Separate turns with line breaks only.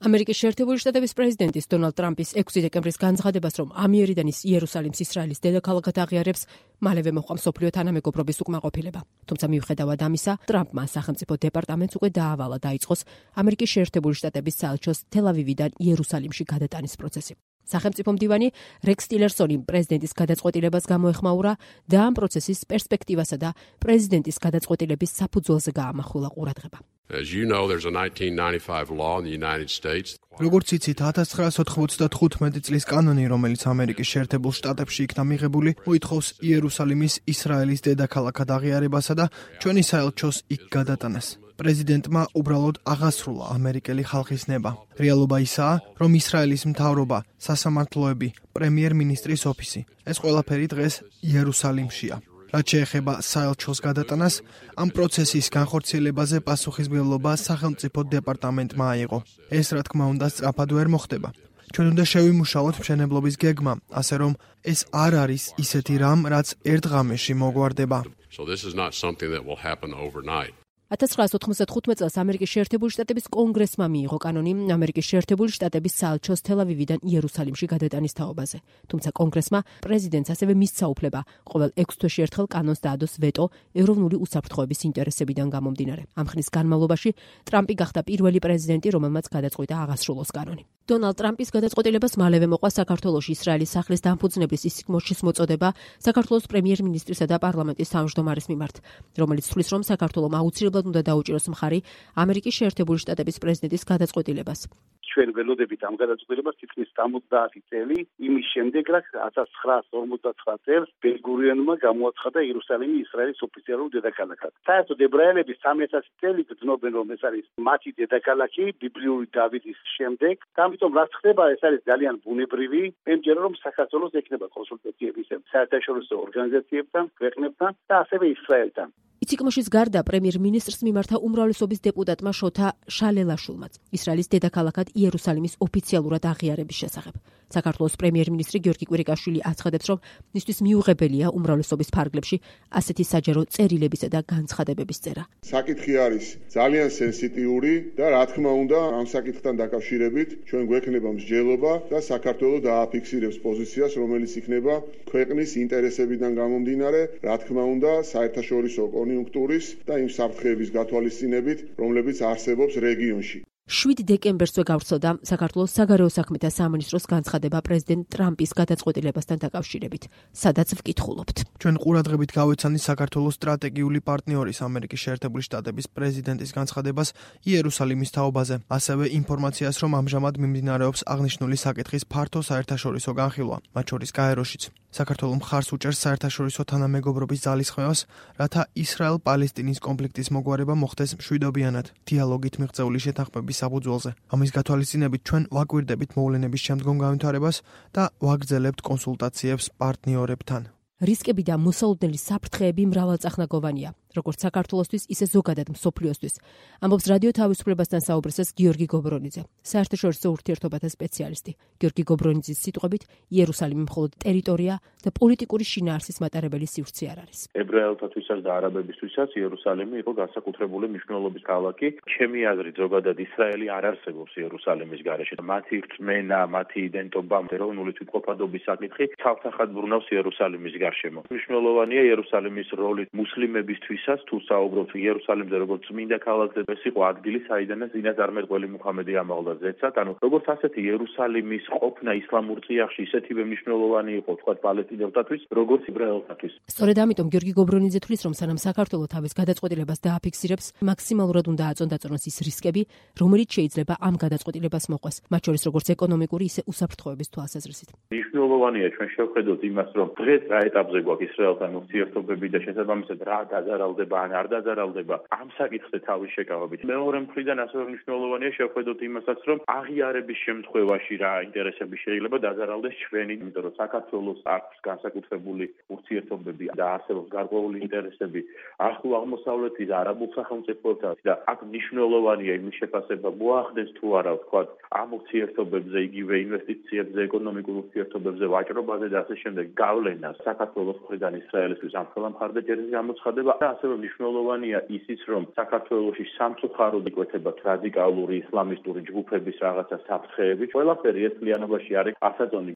ამერიკის შეერთებული შტატების პრეზიდენტის დონალდ ტრამპის 6 დეკემბრის განცხადებას, რომ ამიერიდან ის იერუსალიმს ისრაელის დედაქალაქად აღიარებს, მალევე მოჰყვა მსოფლიო თანამეგობრობის უკმაყოფილება. თუმცა მიუხედავად ამისა, ტრამპმა სახელმწიფო დეპარტამენტს უკვე დაავალა დაიწყოს ამერიკის შეერთებული შტატების საელჩოს თელ-ავივიდან იერუსალიმში გადატანის პროცესი. სახელმწიფო მდივანი რექს ტილერსონი პრეზიდენტის გადაწყვეტილებას გამოეხმაურა და ამ პროცესის პერსპექტივასა და პრეზიდენტის გადაწყვეტილების საფუძველზე გაამახვილა ყურადღება.
As you know, there's a 1995 law in the United States.
როგორც იცით, 1995 წლის კანონი, რომელიც ამერიკის შეერთებულ შტატებში იქნა მიღებული, მოითხოვს იერუსალიმის ისრაელის დედაქალაქად აღიარებასა და ჩვენი საელჩოს იქ გადატანას. პრეზიდენტმა უბრალოდ აღასრულა ამერიკელი ხალხის ნება. რეალობა ისაა, რომ ისრაელის მთავრობა, სასამართლოები, პრემიერ-მინისტრის ოფისი, ეს ყველაფერი დღეს იერუსალიმშია. რაც შეეხება საელჩოს გადატანას, ამ პროცესის განხორციელებაზე პასუხისმგებლობა სახელმწიფო დეპარტამენტმა აიღო. ეს რა თქმა უნდა სწრაფად ვერ მოხდება. ჩვენ უნდა შევიმუშაოთ მშენებლობის გეგმა, ასე რომ ეს არ არის ისეთი რამ, რაც ერთ ღამეში მოგვარდება.
So this is not something that will happen overnight.
1995 წელს ამერიკის შეერთებული შტატების კონგრესმა მიიღო კანონი ამერიკის შეერთებული შტატების საელჩოს თელ-ავივიდან იერუსალიმში გადატანის თაობაზე. თუმცა კონგრესმა პრეზიდენტს ასევე მისცა უფლება ყოველ 6 თვეში ერთხელ კანონს დაადოს ვეტო ეროვნული უსაფრთხოების ინტერესებიდან გამომდინარე. ამ ხნის განმავლობაში ტრამპი გახდა პირველი პრეზიდენტი, რომელმაც გადაწყვიტა აღასრულოს კანონი. დონალდ ტრამპის გადაწყვეტილებას მალევე მოყვა საქართველოში ისრაელის სახლის დამფუძნებლის ისიქ-მოშის მოწოდება საქართველოს პრემიერ-მინისტრისა და პარლამენტის თავმჯდომარის მიმართ, რომელიც თვლის, რომ საქართველომ აუცილებლად უნდა დაუჭიროს მხარი ამერიკის შეერთებული შტატების პრეზიდენტის გადაწყვეტილებას.
ჩვენ ველოდებით ამ გადაწყვეტილებას თითქმის 70 წელი იმის შემდეგ, რაც 1959 წელს ბენ-გურიანმა გამოაცხადა იერუსალიმი ისრაელის ოფიციალურ დედაქალაქად. საერთოდ ებრაელები 3000 წელი გრძნობენ, რომ ეს არის მათი დედაქალაქი ბიბლიური დავითის შემდეგ. ამიტომ რაც ხდება, ეს არის ძალიან ბუნებრივი. მე მჯერა, რომ საქართველოს ექნება კონსულტაციები საერთაშორისო ორგანიზაციებთან, ქვეყნებთან და ასევე ისრაელთან.
ისიქ-მოშის გარდა პრემიერ-მინისტრს მიმართა უმრავლესობის დეპუტატმა შოთა შალელაშვილმაც ისრაელის დედაქალაქად იერუსალიმის ოფიციალურად აღიარების შესახებ. საქართველოს პრემიერ-მინისტრი გიორგი კვირიკაშვილი აცხადებს, რომ მისთვის მიუღებელია უმრავლესობის ფარგლებში ასეთი საჯარო წერილებისა და განცხადებების წერა.
საკითხი არის ძალიან სენსიტიური და რა თქმა უნდა, ამ საკითხთან დაკავშირებით ჩვენ გვექნება მსჯელობა და საქართველოს დააფიქსირებს პოზიციას, რომელიც იქნება ქვეყნის ინტერესებიდან გამომდინარე, რა თქმა უნდა, საერთაშორისო კონიუნქტურის და იმ საფრთხეების გათვალისწინებით, რომლებიც არსებობს რეგიონში.
7 დეკემბერსვე გავრცელდა საქართველოს საგარეო საქმეთა სამინისტროს განცხადება პრეზიდენტ ტრამპის გადაწყვეტილებასთან დაკავშირებით, სადაც ვკითხულობთ.
ჩვენ ყურადღებით გავეცანი საქართველოს სტრატეგიული პარტნიორის ამერიკის შეერთებული შტატების პრეზიდენტის განცხადებას იერუსალიმის თაობაზე, ასევე ინფორმაციას, რომ ამჟამად მიმდინარეობს აღნიშნული საკითხის ფართო საერთაშორისო განხილვა, მათ შორის გაეროშიც. საქართველო მხარს უჭერს საერთაშორისო თანამეგობრობის ძალისხმევას, რათა ისრაელ-პალესტინის კონფლიქტის მოგვარება მოხდეს მშვიდობიანად, დიალოგით მიღწეული შეთანხმების საფუძველზე. ამის გათვალისწინებით ჩვენ ვაკვირდებით მოვლენების შემდგომ განვითარებას და ვაგრძელებთ კონსულტაციებს პარტნიორებთან.
რისკები და მოსალოდნელი საფრთხეები მრავალწახნაგოვანია, როგორც საქართველოსთვის, ისე ზოგადად მსოფლიოსთვის. ამბობს რადიო თავისუფლებასთან საუბრისას გიორგი გობრონიძე, საერთაშორისო ურთიერთობათა სპეციალისტი. გიორგი გობრონიძის სიტყვებით, იერუსალიმი მხოლოდ ტერიტორია და პოლიტიკური შინაარსის მატარებელი სივრცე არ არის.
ებრაელთათვისაც და არაბებისთვისაც იერუსალიმი იყო განსაკუთრებული მნიშვნელობის ქალაქი. ჩემი აზრით, ზოგადად ისრაელი არ არსებობს იერუსალიმის გარეშე. მათი რწმენა, მათი იდენტობა, ეროვნული თვითყოფადობის საკითხი თავთახად ბრუნავს იერუსალიმის გარშემო. მნიშვნელოვანია იერუსალიმის როლი მუსლიმებისთვის. თუ საუბრობთ იერუსალიმზე როგორც წმინდა ქალაქზე, ეს იყო ადგილი, საიდანაც წინას არმეტყველი მუჰამედი ამაღლდა ზეცად, ანუ როგორც ასეთი იერუსალიმის ყოფნა ისლამურ წიაღში ისეთივე მნიშვნელოვანი იყო თქვა პალესტინელთათვის, როგორც ებრაელთათვის.
სწორედ ამიტომ გიორგი გობრონიძე თვლის, რომ სანამ საქართველოს თავის გადაწყვეტილებას დააფიქსირებს, მაქსიმალურად უნდა აწონდაწონოს ის რისკები, რომელიც შეიძლება ამ გადაწყვეტილებას მოყვეს, მათ შორის როგორც ეკონომიკური, ისე უსაფრთხოების თვალსაზრისით.
მნიშვნელოვანია ჩვენ შევხედოთ იმას, რომ დღეს რა ეტაპზე გვაქვს ისრაელთან ურთიერთობები და შესაბამისად რა დაზარალდება ან არ დაზარალდება ამ საკითხზე თავის შეკავებით. მეორე მხრიდან ასევე მნიშვნელოვანია შევხედოთ იმასაც, რომ აღიარების შემთხვევაში რა ინტერესები შეიძლება დაზარალდეს ჩვენი, იმიტომ რომ საქართველოს აქვს განსაკუთრებული ურთიერთობები და არსებობს გარკვეული ინტერესები ახლო აღმოსავლეთის არაბულ სახელმწიფოებთან და აქ მნიშვნელოვანია იმის შეფასება მოახდეს თუ არა ვთქვათ ამ ურთიერთობებზე, იგივე ინვესტიციებზე, ეკონომიკურ ურთიერთობებზე, ვაჭრობაზე და ასე შემდეგ გავლენას საქართველოს მხრიდან ისრაელისთვის ამ მხარდაჭერის გამოცხადება და ასევე მნიშვნელოვანია ისიც, რომ საქართველოში სამწუხაროდ იკვეთება რადიკალური ისლამისტური ჯგუფების რაღაცა საფრთხეები. ყველაფერი ერთლიანობაში არის ასაწონი.